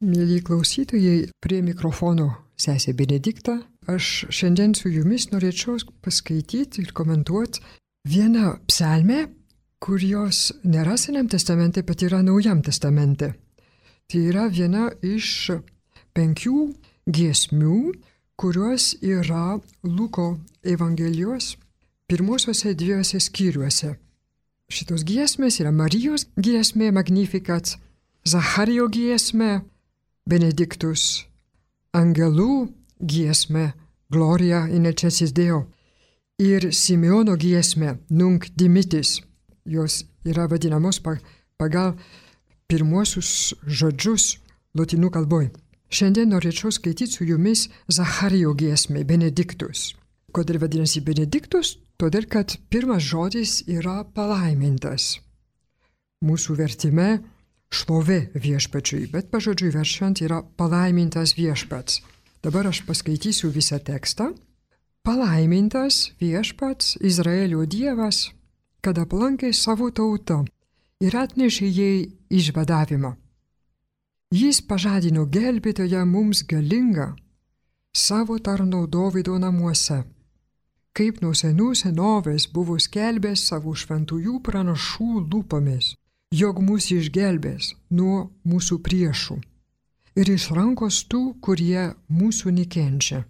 Mėly klausytojai, prie mikrofono sesė Benedikta. Aš šiandien su jumis norėčiau paskaityti ir komentuoti vieną psalmę, kurios nėra Senam testamente, bet yra Naujam testamente. Tai yra viena iš 5 giesmių, kurios yra Luko Evangelijos pirmosiuose 2 skyriuose. Šitos giesmės yra Marijos giesmė Magnificat, Zacharijo giesmė Benedictus, angelų giesmė Gloria in excelsis Deo ir Simeono giesmė Nunc dimittis. Jos yra vadinamos pagal pirmuosius žodžius lotynų kalboj. Šiandien norėčiau skaityti su jumis Zacharijo giesmę Benedictus. Kodėl vadinasi Benedictus? Todėl, kad pirmas žodis yra palaimintas. Mūsų vertime šlovė viešpačiui, bet pažodžiui verčiant yra palaimintas viešpats. Dabar aš paskaitysiu visą tekstą. Palaimintas viešpats Izraelio Dievas, kad aplankė savo tautą ir atnešė jai išvadavimą. Jis pažadino gelbėtoją mums galingą savo tarno Dovydo namuose, kaip nuo senų senovės buvo skelbęs savo šventųjų pranašų lūpomis, jog mus išgelbės nuo mūsų priešų ir iš rankos tų, kurie mūsų nekenčia.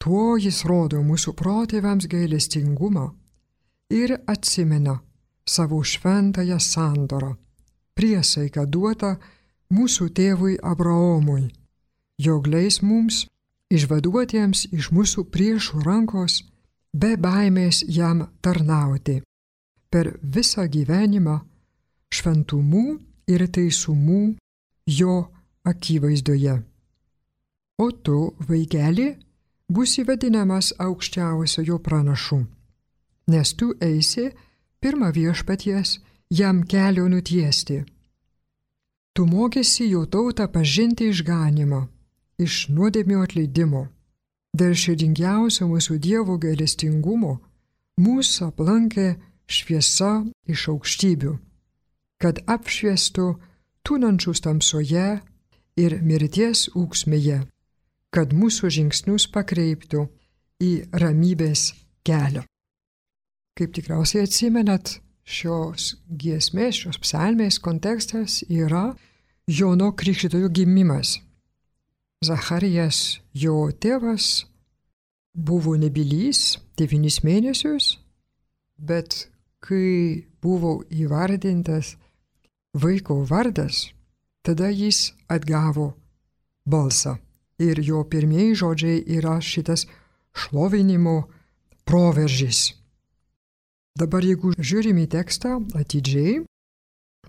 Tuo jis rodo mūsų protėviams gailestingumą ir atsimena savo šventąją sandorą, priesaiką duotą mūsų tėvui Abraomui, jog leis mums išvaduotiems iš mūsų priešų rankos be baimės jam tarnauti per visą gyvenimą šventumų ir teisumų jo akivaizdoje. O tu, vaikeli, būsi vadinamas aukščiausiojo pranašu, nes tu eisi pirma viešpaties jam kelio nutiesti. Tu mokėsi jo tautą pažinti išganimą, iš nuodėmių atleidimo. Dėl širdingiausio mūsų Dievo gailestingumo mūsų aplankė šviesa iš aukštybių, kad apšviestų tūnančius tamsoje ir mirties ūksmėje, kad mūsų žingsnius pakreiptų į ramybės kelią. Kaip tikriausiai atsimenat, šios giesmės, šios psalmės kontekstas yra Jono Krikštytojo gimimas. Zacharijas, jo tėvas, buvo nebylys 9 mėnesius, bet kai buvo įvardintas vaiko vardas, tada jis atgavo balsą. Ir jo pirmieji žodžiai yra šitas šlovinimo proveržis. Dabar jeigu žiūrime į tekstą atidžiai,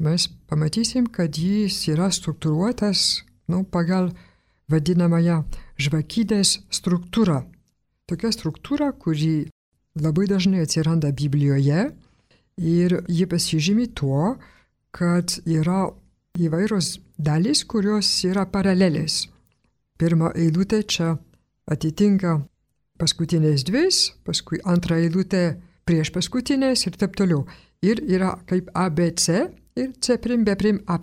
mes pamatysim, kad jis yra struktūruotas pagal vadinamąją žvakidės struktūrą. Tokia struktūra, kuri labai dažnai atsiranda Biblijoje ir ji pasižymi tuo, kad yra įvairios dalys, kurios yra paralelės. Pirma eilutė čia atitinka paskutinės 2, paskui antra eilutė prieš paskutinės ir taip toliau. Ir yra kaip ABC ir C', B', A'.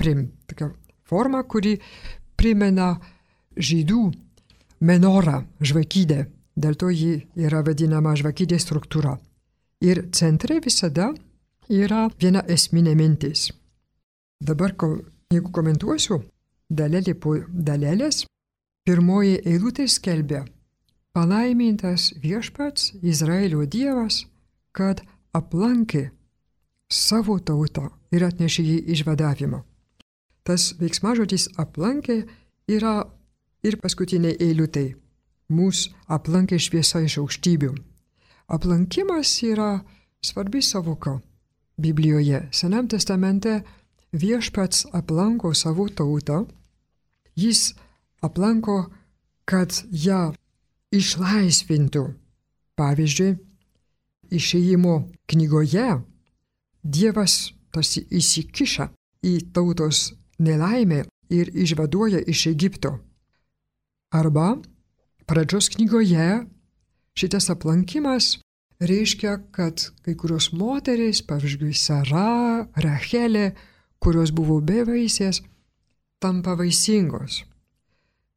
Tokia forma, kuri primena žydų menorą, žvakidę. Dėl to ji yra vadinama žvakidės struktūra. Ir centre visada yra viena esminė mintis. Dabar, jeigu komentuosiu dalelė po dalelės, pirmoji eilutė skelbia: palaimintas viešpats Izraelio Dievas, kad aplankė savo tautą ir atnešė jai išvadavimą. Tas veiksmažodis aplankė yra ir paskutinė eilutė. Mūsų aplankė šviesa iš aukštybių. Aplankimas yra svarbi savoka Biblijoje. Senam testamente viešpats aplanko savo tautą. Jis aplanko, kad ją išlaisvintų. Pavyzdžiui, Išėjimo knygoje Dievas tarsi įsikiša į tautos nelaimę ir išvaduoja iš Egipto. Arba Pradžios knygoje šitas aplankimas reiškia, kad kai kurios moterys, pavyzdžiui, Sara, Rachelė, kurios buvo bevaisės, tampa vaisingos.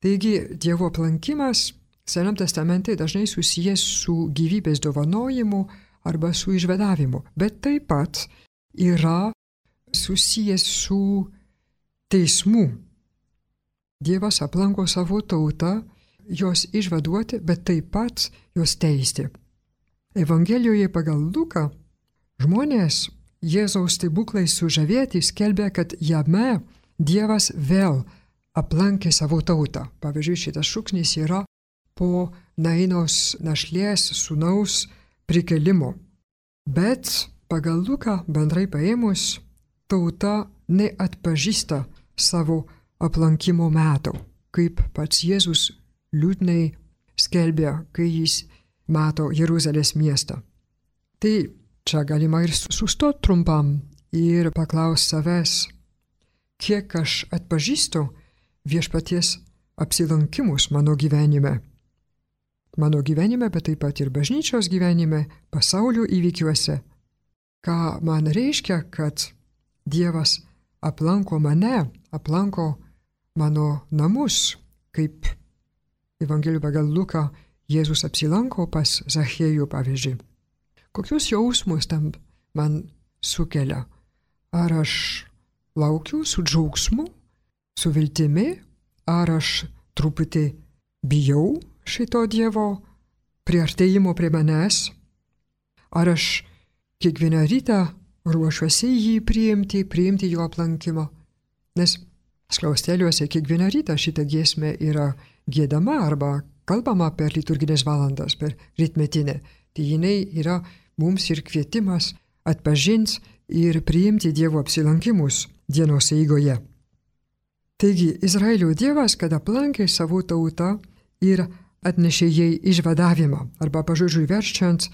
Taigi Dievo aplankimas Senam testamente dažnai susijęs su gyvybės dovanojimu arba su išvadavimu, bet taip pat yra susijęs su teismu. Dievas aplanko savo tautą, jos išvaduoti, bet taip pat jos teisti. Evangelijoje pagal Luką žmonės Jėzaus stebuklais sužavėti skelbia, kad jame Dievas vėl aplankė savo tautą. Pavyzdžiui, šitas šūksnis yra po Nainos našlės sūnaus prikelimo. Bet pagal Luką bendrai paėmus, tauta neatpažįsta savo aplankimo metų, kaip pats Jėzus liūdnai skelbia, kai jis mato Jeruzalės miestą. Tai čia galima ir sustoti trumpam ir paklausti savęs, kiek aš atpažįstu viešpaties apsilankimus mano gyvenime. Mano gyvenime, bet taip pat ir bažnyčios gyvenime, pasaulio įvykiuose. Ką man reiškia, kad Dievas aplanko mane, aplanko mano namus, kaip Evangelijų pagal Luką Jėzus apsilanko pas Zachiejų, pavyzdžiui. Kokius jausmus tam man sukelia? Ar aš laukiu su džiaugsmu, su viltimi, ar aš truputį bijau šito Dievo priartėjimo prie manęs? Ar aš kiekvieną rytą ruošiuosi jį priimti jo aplankimo? Nes skliausteliuose kiekvieną rytą šitą giesmę yra giedama arba kalbama per liturginės valandas, per rytmetinę. Tai jinai yra mums ir kvietimas atpažinti ir priimti Dievo apsilankimus dienos eigoje. Taigi, Izraelio Dievas, kad aplankė savo tautą ir atnešė jai išvadavimą, arba pažodžiui verčiant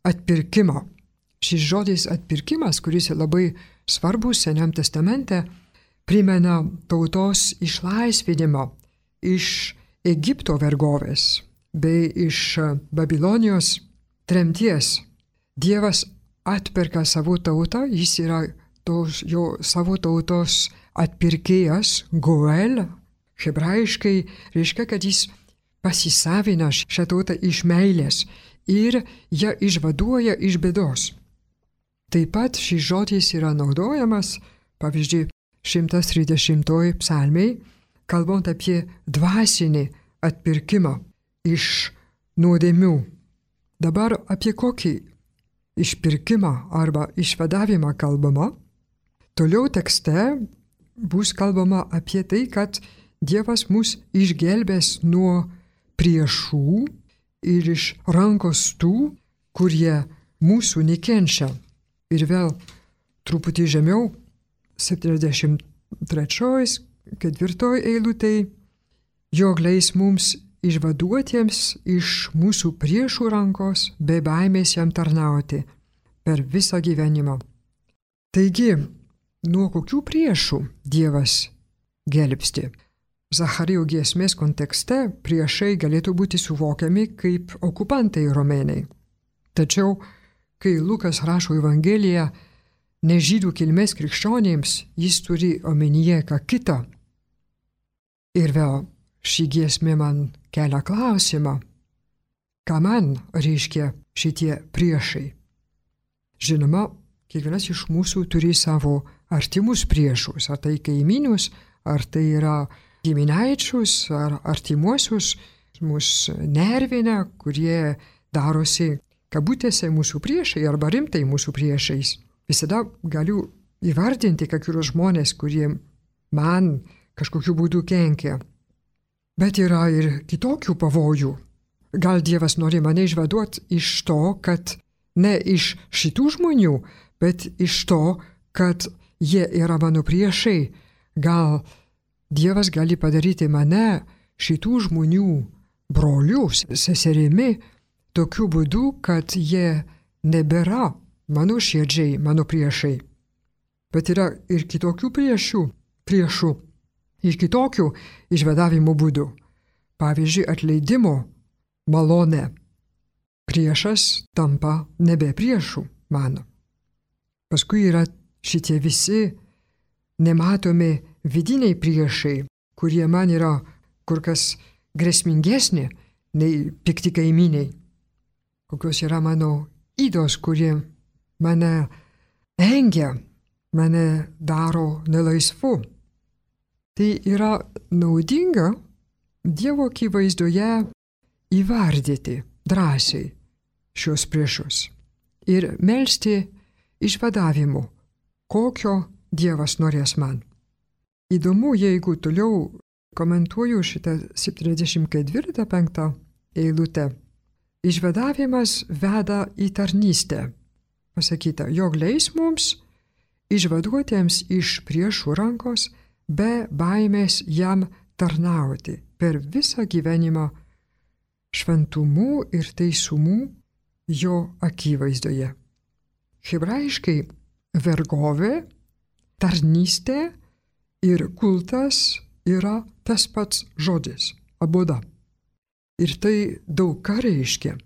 atpirkimą. Šis žodis atpirkimas, kuris labai svarbus Senam testamente, primena tautos išlaisvinimą iš Egipto vergovės bei iš Babilonijos tremties. Dievas atperka savo tautą, jis yra savo tautos atpirkėjas, Goel, hebrajiškai reiškia, kad jis pasisavina šią tautą iš meilės ir ją išvaduoja iš bėdos. Taip pat šis žodis yra naudojamas, pavyzdžiui, 130 psalmei, kalbant apie dvasinį atpirkimą iš nuodėmių. Dabar apie kokį išpirkimą arba išvadavimą kalbama? Toliau tekste bus kalbama apie tai, kad Dievas mus išgelbės nuo priešų ir iš rankos tų, kurie mūsų nekenčia. Ir vėl truputį žemiau, 73, 4 eilutėj, jog leis mums išvaduotiems iš mūsų priešų rankos be baimės jam tarnauti per visą gyvenimą. Taigi, nuo kokių priešų Dievas gelbsti? Zacharijo giesmės kontekste priešai galėtų būti suvokiami kaip okupantai romėnai. Tačiau, kai Lukas rašo Evangeliją ne žydų kilmės krikščionėms, jis turi omenyje ką kitą. Ir vėl ši giesmė man kelia klausimą, ką man reiškia šitie priešai. Žinoma, kiekvienas iš mūsų turi savo artimus priešus, ar tai kaimynus, ar tai yra giminaičius ar artimuosius, mus nervina, kurie darosi kabutėse mūsų priešai arba rimtai mūsų priešais. Visada galiu įvardinti kai kurios žmonės, kurie man kažkokiu būdu kenkia. Bet yra ir kitokių pavojų. Gal Dievas nori mane išvaduoti iš to, kad ne iš šitų žmonių, bet iš to, kad jie yra mano priešai. Gal Dievas gali padaryti mane šitų žmonių broliu, seserimi, tokiu būdu, kad jie nebėra mano širdžiai, mano priešai. Bet yra ir kitokių priešų, ir kitokių išvadavimo būdų. Pavyzdžiui, atleidimo malonė. Priešas tampa nebe priešų mano. Paskui yra šitie visi nematomi vidiniai priešai, kurie man yra kur kas grėsmingesni nei pikti kaimyniai. Kokios yra mano ydos, kurie mane engia, mane daro nelaisvu. Tai yra naudinga Dievo akivaizdoje įvardyti drąsiai šios priešus ir melsti išvadavimų, kokio Dievas norės man. Įdomu, jeigu toliau komentuoju šitą 74-5 eilutę. Išvadavimas veda į tarnystę. Pasakyta, jog leis mums, išvaduotiems iš priešų rankos, be baimės jam tarnauti per visą gyvenimą šventumu ir teisumu jo akivaizdoje. Hebrajiškai vergovė, tarnystė ir kultas yra tas pats žodis – aboda. Ir tai daug ką reiškia.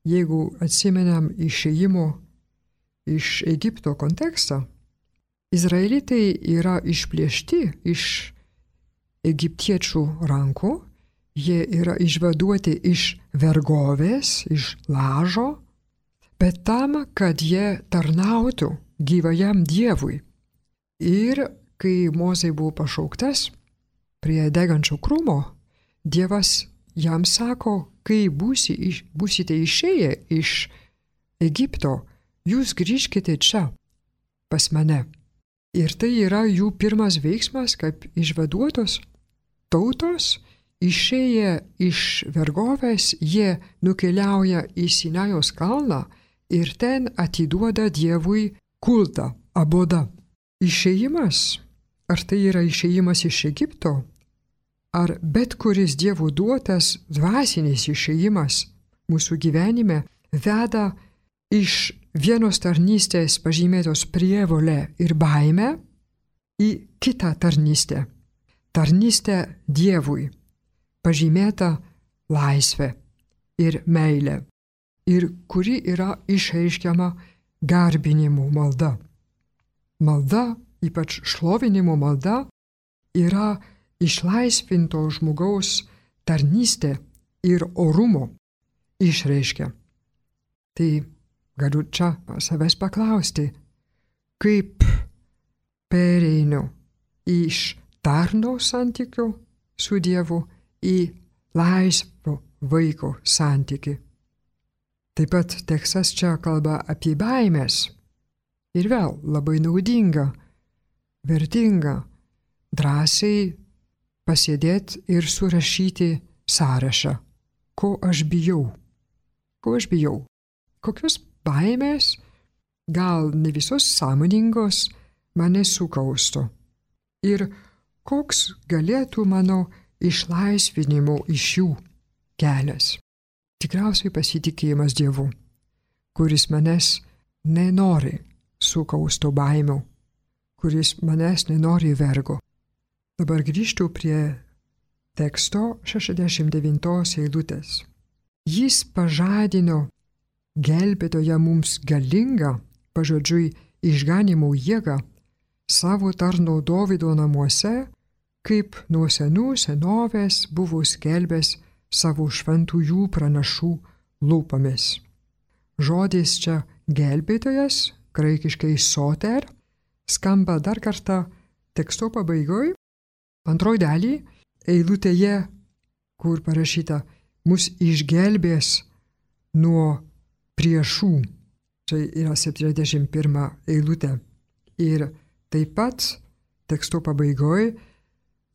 Jeigu atsimenam išėjimo iš Egipto kontekstą, izraelitai yra išplėšti iš egiptiečių rankų, jie yra išvaduoti iš vergovės, iš lažo, bet tam, kad jie tarnautų gyvajam Dievui. Ir kai Mozė buvo pašauktas prie degančio krūmo, Dievas jam sako, kai būsite išėję iš Egipto, jūs grįžkite čia pas mane. Ir tai yra jų pirmas veiksmas, kaip išvaduotos tautos, išėję iš vergovės, jie nukeliauja į Sinajaus kalną ir ten atiduoda Dievui kultą, abodą. Išėjimas, ar tai yra išėjimas iš Egipto, ar bet kuris Dievo duotas dvasinis išėjimas mūsų gyvenime veda iš vienos tarnystės pažymėtos prievolę ir baimę į kitą tarnystę. Tarnystę Dievui, pažymėta laisvė ir meilė, ir kuri yra išreiškiama garbinimu malda. Malda, ypač šlovinimo malda, yra išlaisvinto žmogaus tarnystė ir orumo išreiškia. Tai galiu čia savęs paklausti, kaip pereinu iš tarno santykių su Dievu į laisvo vaiko santykį. Taip pat tekstas čia kalba apie baimės. Ir vėl labai naudinga, vertinga, drąsiai pasėdėti ir surašyti sąrašą, ko aš bijau. Ko aš bijau? Kokios baimės, gal ne visos sąmoningos, mane sukausto. Ir koks galėtų mano išlaisvinimo iš jų kelias. Tikriausiai pasitikėjimas Dievu, kuris manęs nenori sukausto baimių, kuris manęs nenori vergo. Dabar grįžtu prie teksto 69 eilutės. Jis pažadino gelbėtoją mums galingą, pažodžiui, išganimo jėgą savo tarno Dovydo namuose, kaip nuo senų senovės buvo skelbęs savo šventųjų pranašų lūpomis. Žodis čia gelbėtojas, graikiškai soter, skamba dar kartą teksto pabaigoj, antroj daly, eilutėje, kur parašyta, mus išgelbės nuo priešų. Čia yra 71 eilutė. Ir taip pat teksto pabaigoj,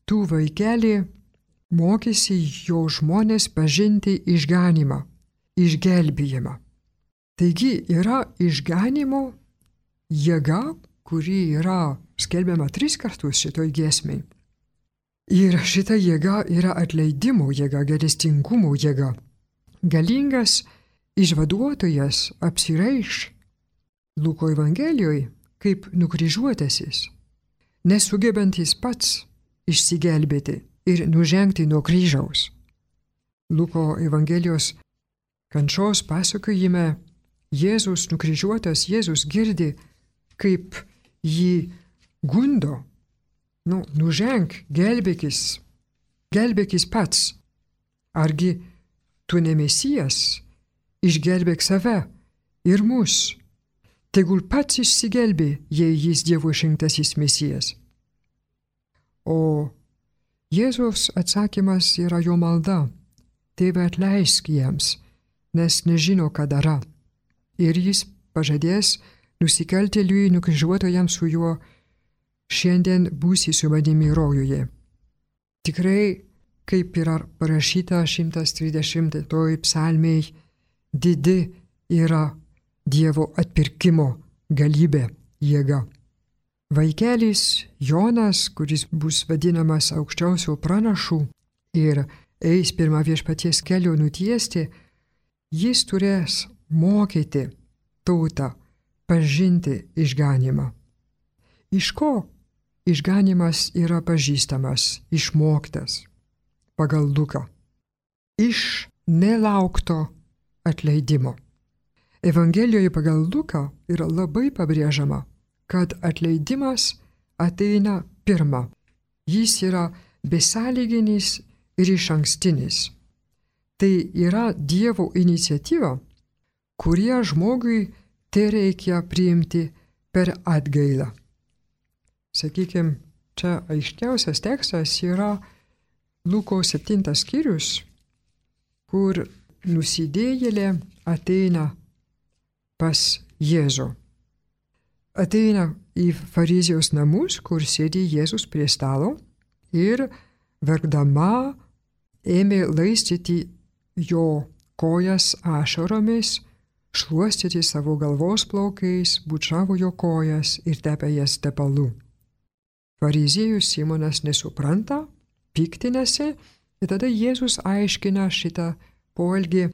tu vaikeli mokysi jo žmonės pažinti išganimą, išgelbėjimą. Taigi yra išganimo jėga, kuri yra skelbiama 3 kartus šitoj giesmei. Ir šita jėga yra atleidimo jėga, gailestingumo jėga. Galingas išvaduotojas apsireiš Luko Evangelijoje kaip nukryžiuotasis, nesugebantis pats išsigelbėti ir nužengti nuo kryžiaus. Luko Evangelijos kančios pasakojime Jėzus nukryžiuotas, Jėzus girdi, kaip jį gundo Nuženk, gelbėkis pats. Argi tu ne Mesijas, išgelbėk save ir mus. Tegul pats išsigelbė, jei jis Dievo išrinktasis Mesijas. O Jėzaus atsakymas yra jo malda. Tėve, atleisk jiems, nes nežino, ką daro. Ir jis pažadės nusikaltėliui nukryžiuotojam su juo, šiandien būsi su manimi rojuje. Tikrai, kaip yra parašyta 130 psalmėj, didi yra Dievo atpirkimo galybė, jėga. Vaikelis Jonas, kuris bus vadinamas aukščiausio pranašu ir eis pirmą viešpaties kelio nutiesti, jis turės mokyti tautą pažinti išganymą. Iš ko išganymas yra pažįstamas, išmoktas pagal Luką? Iš nelaukto atleidimo. Evangelijoje pagal Luką yra labai pabrėžiama, kad atleidimas ateina pirma. Jis yra besąlyginis ir išankstinis. Tai yra Dievo iniciatyva, kurią žmogui tereikia priimti per atgailą. Sakykime, čia aiškiausias tekstas yra Luko 7 skyrius, kur nusidėjėlė ateina pas Jėzų. Ateina į fariziejos namus, kur sėdi Jėzus prie stalo ir verkdama ėmė laistyti jo kojas ašaromis, šluostyti savo galvos plaukais, bučiavo jo kojas ir tepė jas tepalu. Fariziejus Simonas nesupranta, piktinasi ir tada Jėzus aiškina šitą poelgį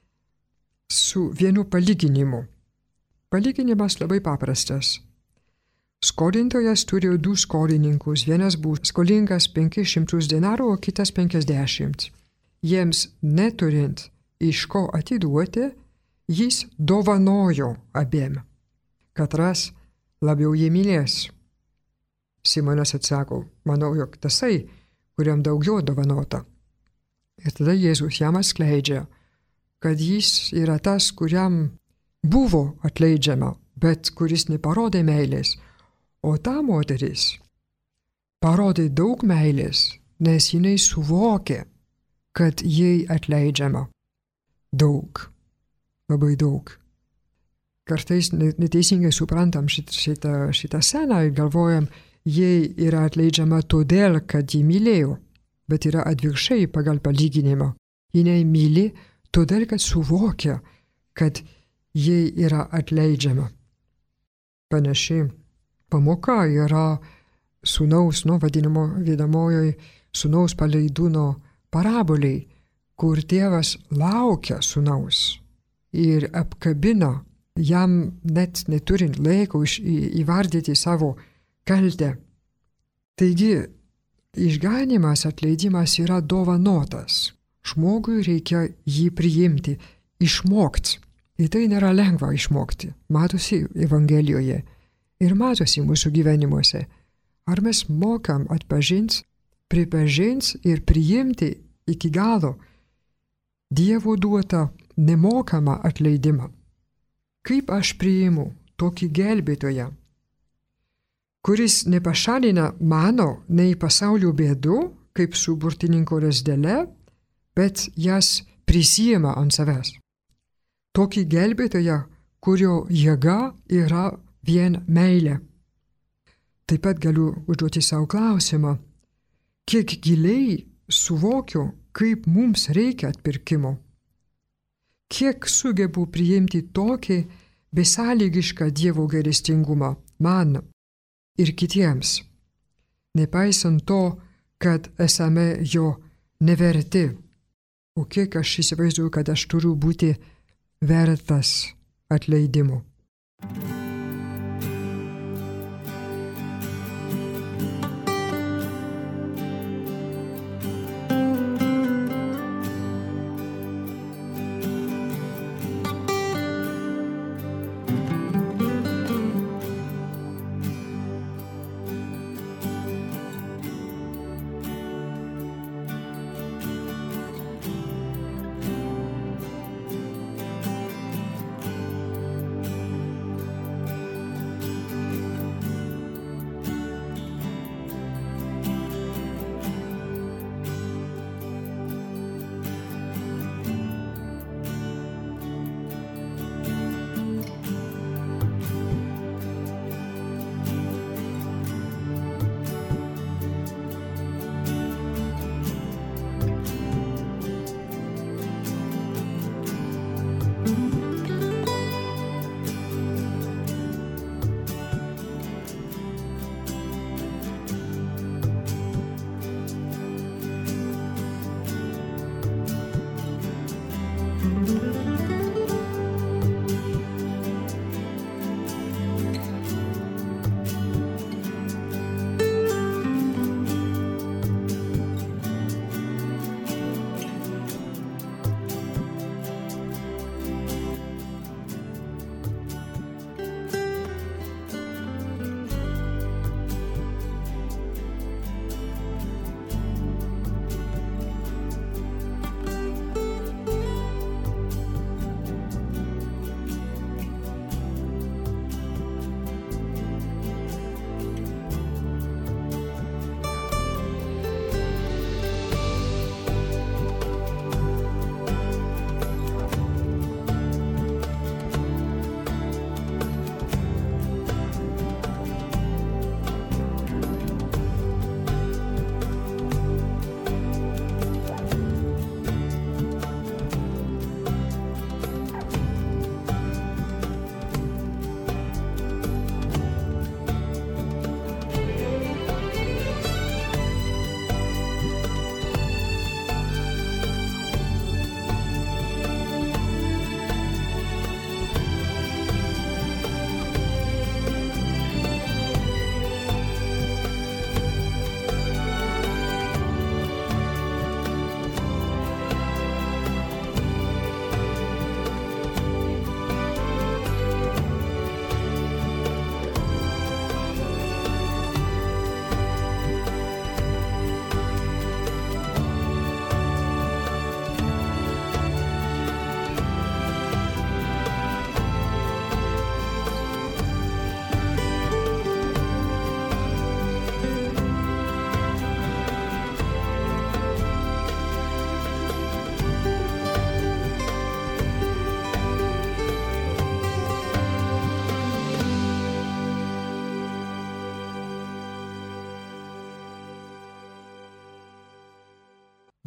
su vienu palyginimu. Palyginimas labai paprastas. Skolintojas turėjo 2 skolininkus, vienas buvo skolingas 500 denarų, o kitas 50. Jiems neturint iš ko atiduoti, jis dovanojo abiem. Katras labiau jį mylės. Simonas atsako, manau, jog tasai, kuriam daugiau dovanota. Ir tada Jėzus jam atskleidžia, kad jis yra tas, kuriam buvo atleidžiama, bet kuris neparodė meilės. O ta moteris parodė daug meilės, nes jinai suvokė, kad jai atleidžiama daug, labai daug. Kartais neteisingai suprantam šitą sceną ir galvojam, jai yra atleidžiama todėl, kad ji mylėjo, bet yra atvirkščiai pagal palyginimą. Jinai myli todėl, kad suvokia, kad jai yra atleidžiama. Panašiai pamoka yra sūnaus, vadinamo vedamojoje sūnaus paleidūno paraboliai, kur tėvas laukia sūnaus ir apkabina, jam net neturint laiko įvardyti savo kaltę. Taigi, išganymas, atleidimas yra dovanotas. Žmogui reikia jį priimti, išmokti. Ir tai nėra lengva išmokti. Matosi Evangelijoje. Ir matosi mūsų gyvenimuose, ar mes mokam atpažinti, pripažinti ir priimti iki galo Dievo duotą nemokamą atleidimą. Kaip aš priimu tokį gelbėtoją, kuris nepašalina mano nei pasaulio bėdų, kaip su burtininko lazdele, bet jas prisijima ant savęs. Tokį gelbėtoją, kurio jėga yra vien meilė. Taip pat galiu užduoti savo klausimą, kiek giliai suvokiu, kaip mums reikia atpirkimo. Kiek sugebu priimti tokį besąlygišką Dievo gailestingumą man ir kitiems, nepaisant to, kad esame jo neverti. O kiek aš įsivaizduoju, kad aš turiu būti vertas atleidimo.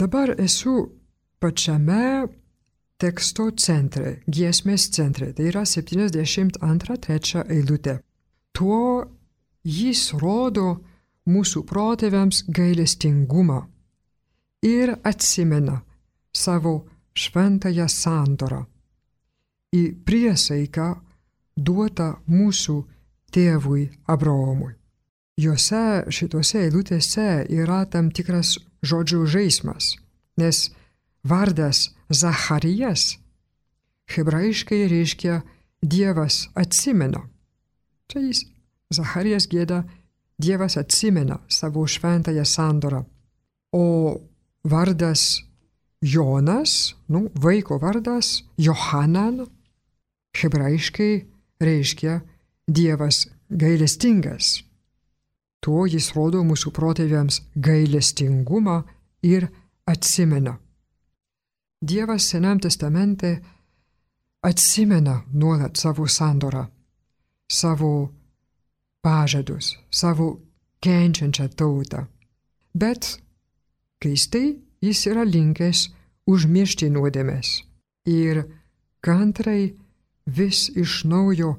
Dabar esu pačiame teksto centre, giesmės centre, tai yra 72-3 eilutė. Tuo jis rodo mūsų protėviams gailestingumą ir atsimena savo šventąją sandorą į priesaiką duotą mūsų tėvui Abraomui. Šitose eilutėse yra tam tikras žodžių žaismas, nes vardas Zacharijas hebrajiškai reiškia Dievas atsimena. Čia jis, Zacharijas gieda, Dievas atsimena savo šventąją sandorą. O vardas Jonas, vaiko vardas Johanan, hebrajiškai reiškia Dievas gailestingas. Tuo jis rodo mūsų protėviams gailestingumą ir atsimena. Dievas Senam testamente atsimena nuolat savo sandorą, savo pažadus, savo kenčiančią tautą. Bet keistai jis yra linkęs užmiršti nuodėmes ir kantrai vis iš naujo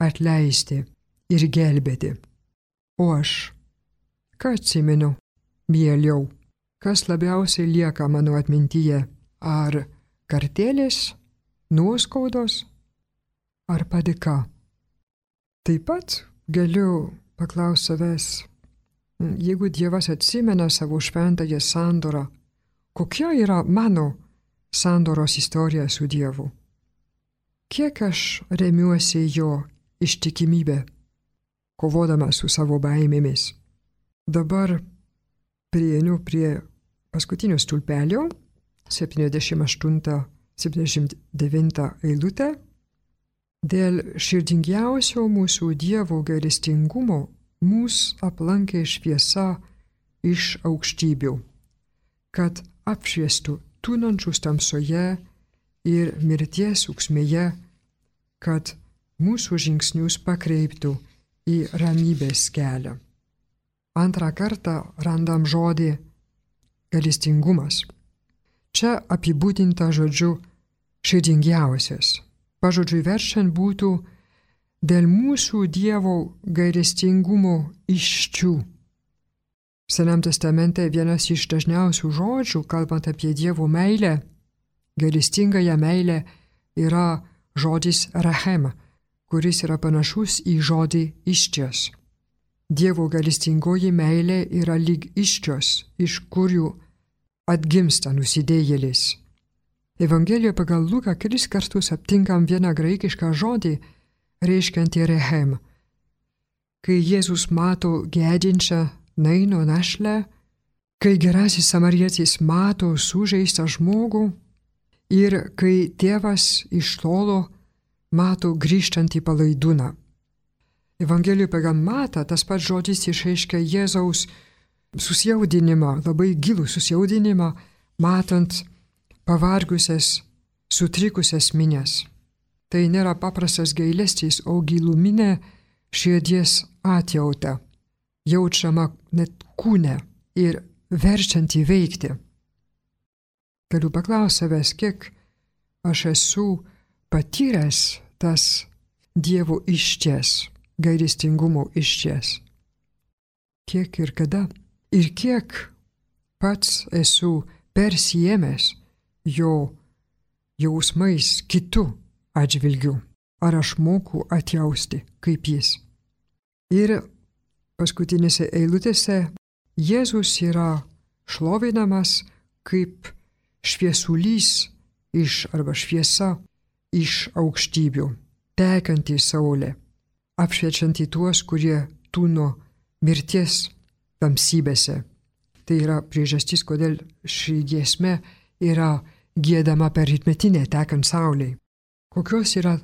atleisti ir gelbėti. O aš, ką atsimenu mieliau, kas labiausiai lieka mano atmintyje? Ar kartėlės, nuoskaudos, ar padėka? Taip pat galiu paklausti savęs, jeigu Dievas atsimena savo šventąją sandorą, kokia yra mano sandoros istorija su Dievu? Kiek aš remiuosi jo ištikimybę, kovodama su savo baimėmis? Dabar prieinu prie paskutinio stulpelio, 78-79 eilutė. Dėl širdingiausio mūsų Dievo gailestingumo mus aplankė šviesa iš aukštybių, kad apšviestų tūnančius tamsoje ir mirties ūksmėje, kad mūsų žingsnius pakreiptų į ramybės kelią. Antrą kartą randam žodį gailestingumas. Čia apibūdinta žodžiu širdingiausias. Pažodžiui verčiant būtų dėl mūsų Dievo gailestingumo iščių. Senam testamente vienas iš dažniausių žodžių, kalbant apie Dievo meilę, gailestingąją meilę, yra žodis rachem, kuris yra panašus į žodį iščias. Dievo gailestingoji meilė yra lyg iščios, iš kurių atgimsta nusidėjėlis. Evangelijoje pagal Luką 3 kartus aptinkam vieną graikišką žodį, reiškiantį rechem. Kai Jėzus mato gedinčią Naino našlę, kai gerasis samarietis mato sužeistą žmogų ir kai tėvas iš tolo mato grįžtantį palaidūną. Evangelijoje pagal Matą tas pats žodis išreiškia Jėzaus susijaudinimą, labai gilų susijaudinimą, matant pavargusias, sutrikusias minias. Tai nėra paprastas gailestis, o giluminė širdies atjauta, jaučiama net kūne ir verčianti veikti. Galiu paklausti savęs, kiek aš esu patyręs tas Dievo išties, gailestingumo išties. Kiek ir kada? Ir kiek pats esu persijėmęs jo jausmais kitų atžvilgių. Ar aš moku atjausti kaip jis? Ir paskutinėse eilutėse Jėzus yra šlovinamas kaip šviesulys arba šviesa iš aukštybių, tekanti saulė, apšviečianti tuos, kurie tūno mirties tamsybėse. Tai yra priežastis, kodėl ši giesmė yra giedama per rytmetinę tekant saulei. Kokios yra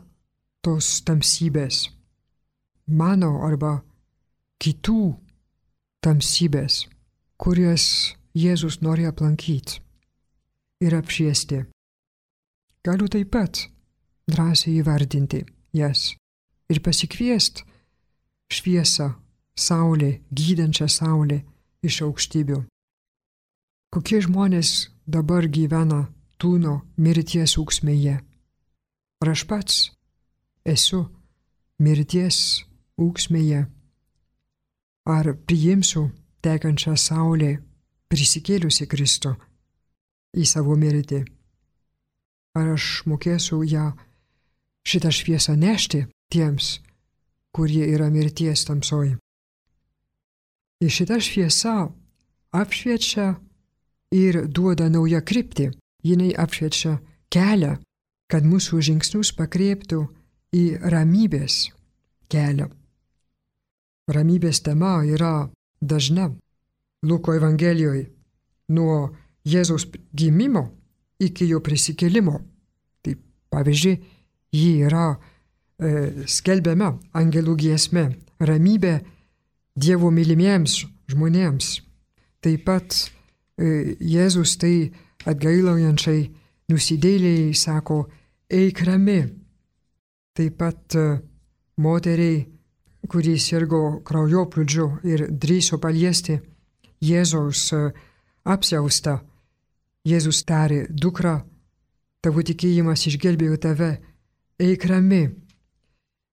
tos tamsybės? Mano arba kitų tamsybės, kurias Jėzus nori aplankyti ir apšviesti. Galiu taip pat drąsiai įvardinti jas ir pasikviesti šviesą, saulė, gydančią saulę iš aukštybių. Kokie žmonės dabar gyvena tūno mirties ūksmėje. Ar aš pats esu mirties ūksmėje? Ar priimsiu tekančią saulę prisikėliusi Kristų į savo mirtį? Ar aš mokėsiu ją šitą šviesą nešti tiems, kurie yra mirties tamsoj? Ir šita šviesa apšviečia ir duoda naują kryptį. Jinai apšviečia kelią, kad mūsų žingsnius pakreiptų į ramybės kelią. Ramybės tema yra dažna Luko Evangelijoje nuo Jėzaus gimimo iki jo prisikėlimo. Tai pavyzdžiui, ji yra skelbiama angelų giesme, ramybė Dievo mylimiems žmonėms. Taip pat Jėzus tai atgailaujančiai nusidėjėliai sako, eik rami. Taip pat moteriai, kuri sirgo kraujoplūdžiu ir drįso paliesti Jėzaus apsiaustą, Jėzus tarė, dukra, tavo tikėjimas išgelbėjo tave, eik rami.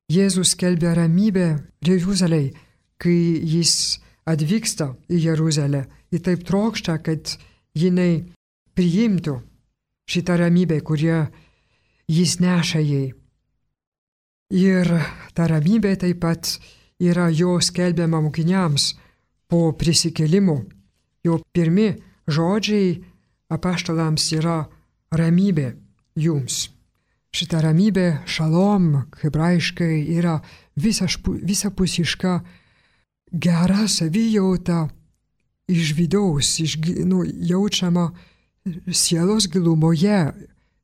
Jėzus skelbia ramybę Jeruzalei, kai jis atvyksta į Jeruzalę. Jis taip trokšta, kad jinai priimtų šitą ramybę, kurią jis neša jai. Ir ta ramybė taip pat yra jo skelbiama mokiniams po prisikėlimo. Jo pirmi žodžiai apaštalams yra ramybė jums. Šita ramybė, šalom, hebrajiškai, yra visapusiška gera savijauta iš vidaus, jaučiama sielos gilumoje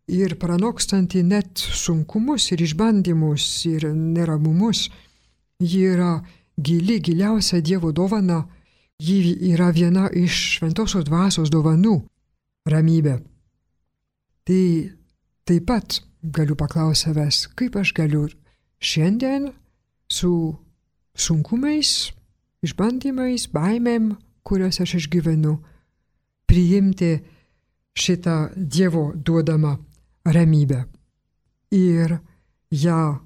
ir pranokstanti net sunkumus ir išbandymus ir neramumus. Ji yra giliausia Dievo dovana, ji yra viena iš šventosios dvasios dovanų - ramybė. Tai taip pat galiu paklausti savęs, kaip aš galiu šiandien su sunkumais, išbandymais, baimėm, kuriuos aš išgyvenu, priimti šitą Dievo duodamą ramybę ir ją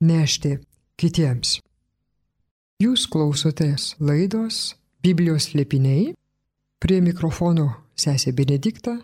nešti kitiems. Jūs klausotės laidos Biblijos slėpiniai, prie mikrofono sesė Benedikta